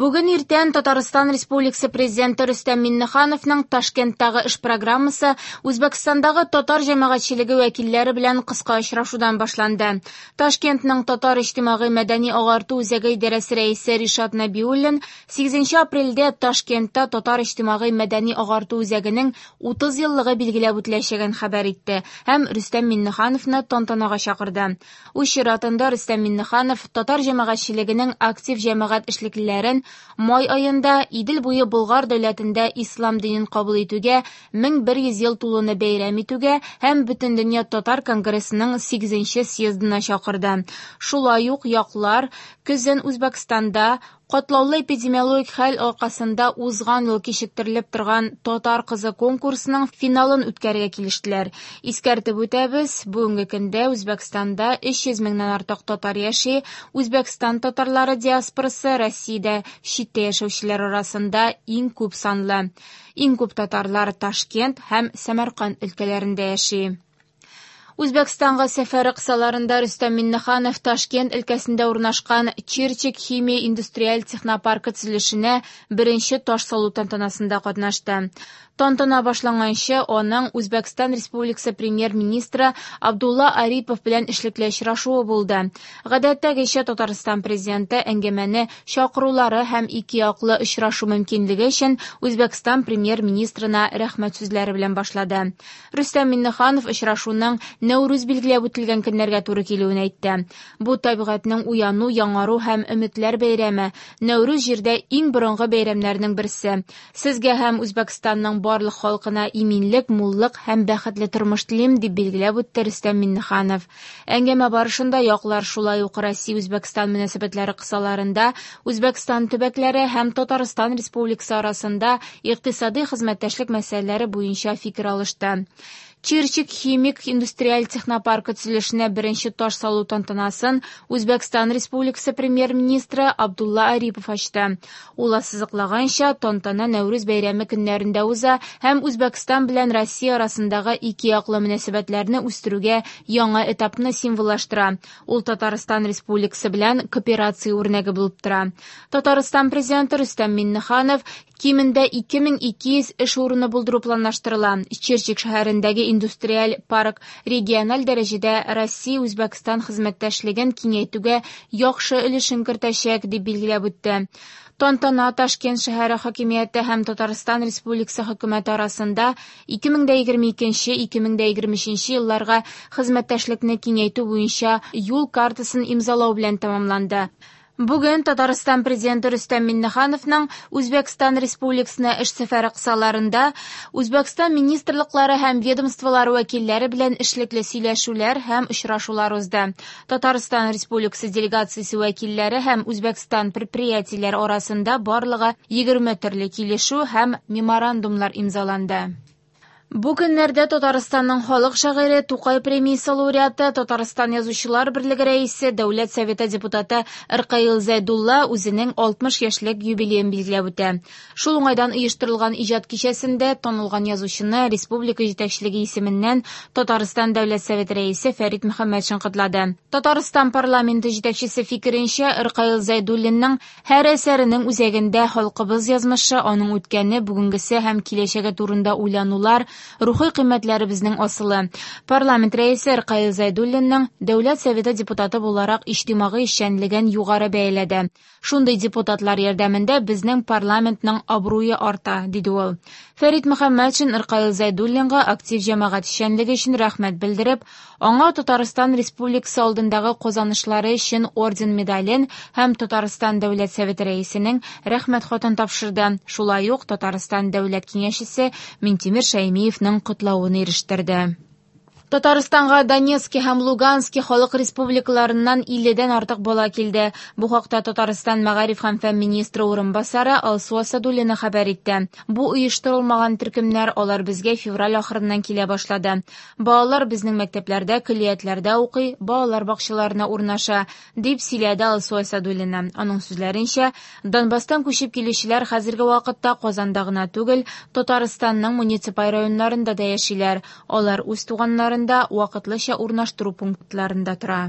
Бүген иртән Татарстан Республикасы Президенты Рөстәм Миңнехановның Ташкенттагы эш программасы Үзбәкстандагы татар җәмәгатьчелеге вәкилләре белән кыска очрашудан башланды. Ташкентның Татар иҗтимагый мәдәни агарту үзәге идарәсе рәисе Ришат Нәбиуллин 8 апрельдә Ташкентта Татар иҗтимагый мәдәни агарту үзәгенең 30 еллыгы билгеләп үтеләчәген хәбәр итте һәм Рөстәм Миңнехановны тантанага чакырды. Үз чиратында Рөстәм Миңнеханов татар җәмәгатьчелегенең актив җәмәгать эшлеклеләрен май аенда Идел буе Болгар дәүләтендә ислам динен кабул итүгә 1100 ел тулуны бәйрәм итүгә һәм Бөтендөнья татар конгрессының 8 съездына чакырды. Шулай ук яклар көзен Үзбәкстанда катлаулы эпидемиологик хәл аркасында узган ел кичектерелеп торган Татар кызы конкурсының финалын үткәрергә килештеләр. Искәртеп үтәбез, бүгенге көндә Үзбәкстанда 300 меңнән артык татар яши. Үзбәкстан татарлары диаспорасы Россиядә читтә яшәүчеләр арасында иң күп санлы. Иң күп татарлар Ташкент һәм Сәмәрканд өлкәләрендә яши. Үзбәкстанга сәфәре кысаларында Рөстәм Миңнеханов Ташкент өлкәсендә урнашкан Чирчик химия индустриаль технопаркы төзелешенә беренче таш салу тантанасында катнашты. Тантана башланганчы аның Үзбәкстан Республикасы премьер-министры Абдулла Арипов белән эшлекле очрашуы булды. Гадәттәгечә Татарстан президенты әңгәмәне чакырулары һәм ике яклы очрашу мөмкинлеге өчен Үзбәкстан премьер-министрына рәхмәт сүзләре белән башлады. Рөстәм Миңнеханов очрашуның Нәүрүз билгеләп үтелгән көннәргә туры килүен әйтте. Бу табигатьнең уяну, яңару һәм өметләр бәйрәме. Нәүрүз җирдә иң борынгы бәйрәмнәрнең берсе. Сезгә һәм Үзбәкстанның барлык халкына иминлек, муллык һәм бәхетле тормыш телим, дип билгеләп үтте Рөстәм Миңнеханов. Әңгәмә барышында яклар шулай ук Россия-Үзбәкстан мөнәсәбәтләре кысаларында Үзбәкстан төбәкләре һәм Татарстан Республикасы арасында икътисади хезмәттәшлек мәсьәләләре буенча фикер алышты. Чирчик химик индустриаль технопаркы төзелешенә беренче таш салу тантанасын Үзбәкстан Республикасы премьер-министры Абдулла Арипов ачты. Ул ассызыклаганча, тантана Нәүрүз бәйрәме көннәрендә уза һәм Үзбәкстан белән Россия арасындагы ике яклы мөнәсәбәтләрне үстерүгә яңа этапны символлаштыра. Ул Татарстан Республикасы белән кооперация үрнәге булып тора. Татарстан президенты Рөстәм Миңнеханов кимендә 2200 эш урыны булдыру планлаштырыла. Чирчик шәһәрендәге индустриаль парк региональ дәрәҗәдә Россия-Үзбәкстан хезмәттәшлеген киңәйтүгә яхшы өлешен кертәчәк, дип билгеләп үтте. Тантана Ташкент шәһәре хакимияте һәм Татарстан Республикасы хөкүмәте арасында 2022-2023 елларга хезмәттәшлекне киңәйтү буенча юл картасын имзалау белән тәмамланды. Бүген Татарстан президенты Рөстәм Миңнехановның Үзбәкстан Республикасына эш сәфәре кысаларында Үзбәкстан министрлыклары һәм ведомстволары вәкилләре белән эшлекле сөйләшүләр һәм очрашулар узды. Татарстан Республикасы делегациясе вәкилләре һәм Үзбәкстан предприятиеләре арасында барлыгы 20 төрле килешү һәм меморандумнар имзаланды. Бу көннәрдә Татарстанның халык шагыйре, Тукай премиясе лауреаты, Татарстан Язучылар берлеге рәисе, Дәүләт Советы депутаты Ркаил Зәйдулла үзенең 60 яшьлек юбилеен билгеләп үтә. Шул уңайдан оештырылган иҗат кичәсендә танылган язучыны республика җитәкчелеге исеменнән Татарстан Дәүләт Советы рәисе Фәрит Мөхәммәтшин котлады. Татарстан парламенты җитәкчесе фикеренчә, Ркаил Зәйдуллинның һәр әсәренең үзәгендә халкыбыз язмышы, аның үткәне, бүгенгесе һәм киләчәге турында уйланулар, рухи кыйммәтләребезнең асылы. Парламент рәисе Ркаил Зәйдуллинның Дәүләт Советы депутаты буларак иҗтимагый эшчәнлеген югары бәяләде. Шундый депутатлар ярдәмендә безнең парламентның абруе арта, диде ул. Фәрит Мөхәммәтшин Ркаил Зәйдуллинга актив җәмәгать эшчәнлеге өчен рәхмәт белдереп, аңа Татарстан Республикасы алдындагы казанышлары өчен орден медален һәм Татарстан Дәүләт Советы рәисенең рәхмәт хатын тапшырды. Шулай ук Татарстан Дәүләт Киңәшчесе Минтимер Шәймиевның котлавын ирештерде. Татарстанга Донецки һәм Лугански халык республикаларыннан 50-дән артык бала килде. Бу хакта Татарстан мәгариф һәм фән министры урынбасары Алсу Асадуллина хәбәр итте. Бу оештырылмаган төркемнәр, алар безгә февраль ахырыннан килә башлады. Балалар безнең мәктәпләрдә, көллиятләрдә укый, балалар бакчаларына урнаша, дип сөйләде Алсу Асадуллина. Аның сүзләренчә, Донбасстан күчеп килүчеләр хәзерге вакытта Казанда гына түгел, Татарстанның муниципаль районнарында да яшиләр. Алар үз туганнарында вакытлыча урнаштыру пунктларында тора.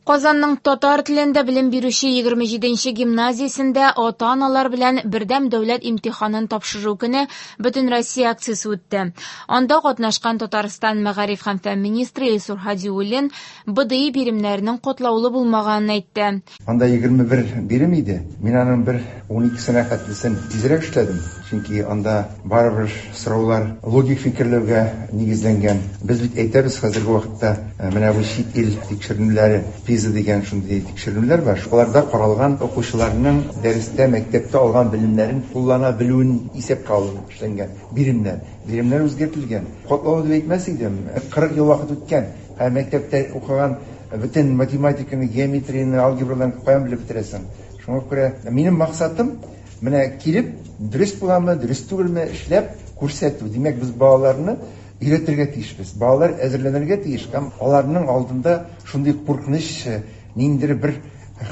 Казанның татар телендә белем бирүче 27нче гимназиясендә ата-аналар белән бердәм дәүләт имтиханын тапшыру көне Бөтенроссия акциясе үтте. Анда катнашкан Татарстан мәгариф һәм фән министры Илсур Һадиуллин БДИ биремнәренең катлаулы булмаганын әйтте. Анда 21 бирем иде. Мин аның бер 12сенә хәтлесен тизрәк эшләдем. Чөнки анда барыбер сораулар логик фикерләүгә нигезләнгән. Без бит әйтәбез хәзерге вакытта менә бу чит ил тикшеренүләре, ПИЗа дигән шундый тикшеренүләр бар. Аларда каралган укучыларның дәрестә, мәктәптә алган белемнәрен куллана белүен исәпкә алып эшләнгән биремнәр. Биремнәр үзгәртелгән. Катлаулы дип әйтмәс идем. 40 ел вакыт үткән. Ә мәктәптә укыган бөтен математиканы, геометрияне, алгебраларны каян белеп бетерәсең? Шуңа күрә минем максатым менә килеп, дөрес буламы, дөрес түгелме, эшләп күрсәтү. Димәк, без балаларны өйрәтергә тиешбез. Балалар әзерләнергә тиеш һәм аларның алдында шундый куркыныч ниндидер бер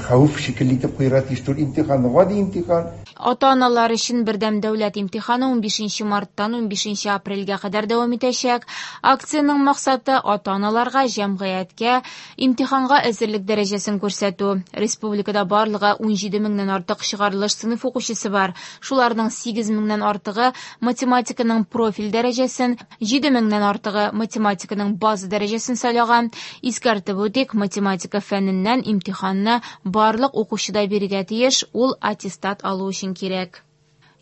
хәвеф шикелле итеп куярга тиеш түгел. Имтихан, гади имтихан. Ата-аналар өчен бердәм дәүләт имтиханы 15 марттан 15 апрельгә кадәр дәвам итәчәк. Акциянең максаты ата-аналарга, җәмгыятькә имтиханга әзерлек дәрәҗәсен күрсәтү. Республикада барлыгы 17 меңнән артык чыгарылыш сыйныф укучысы бар. Шуларның 8 меңнән артыгы математиканың профиль дәрәҗәсен, 7 меңнән артыгы математиканың база дәрәҗәсен сайлаган. Искәртеп үтик, математика фәненнән имтиханны барлык укучы да бирергә тиеш, ул аттестат алу өчен кирәк.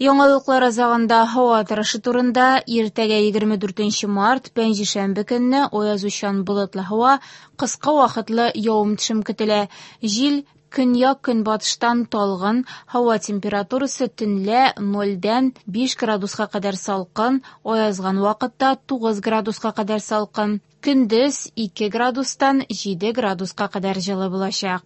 Яңалыклар азагында һава торышы турында. Иртәгә 24 март, пәнҗешәмбе көнне аязучан болытлы һава, кыска вакытлы явым-төшем көтелә. Җил көньяк-көнбатыштан талгын, һава температурасы төнлә 0-дән 5 градуска кадәр салкын, аязган вакытта 9 градуска кадәр салкын. Көндез 2 градустан 7 градуска кадәр җылы булачак.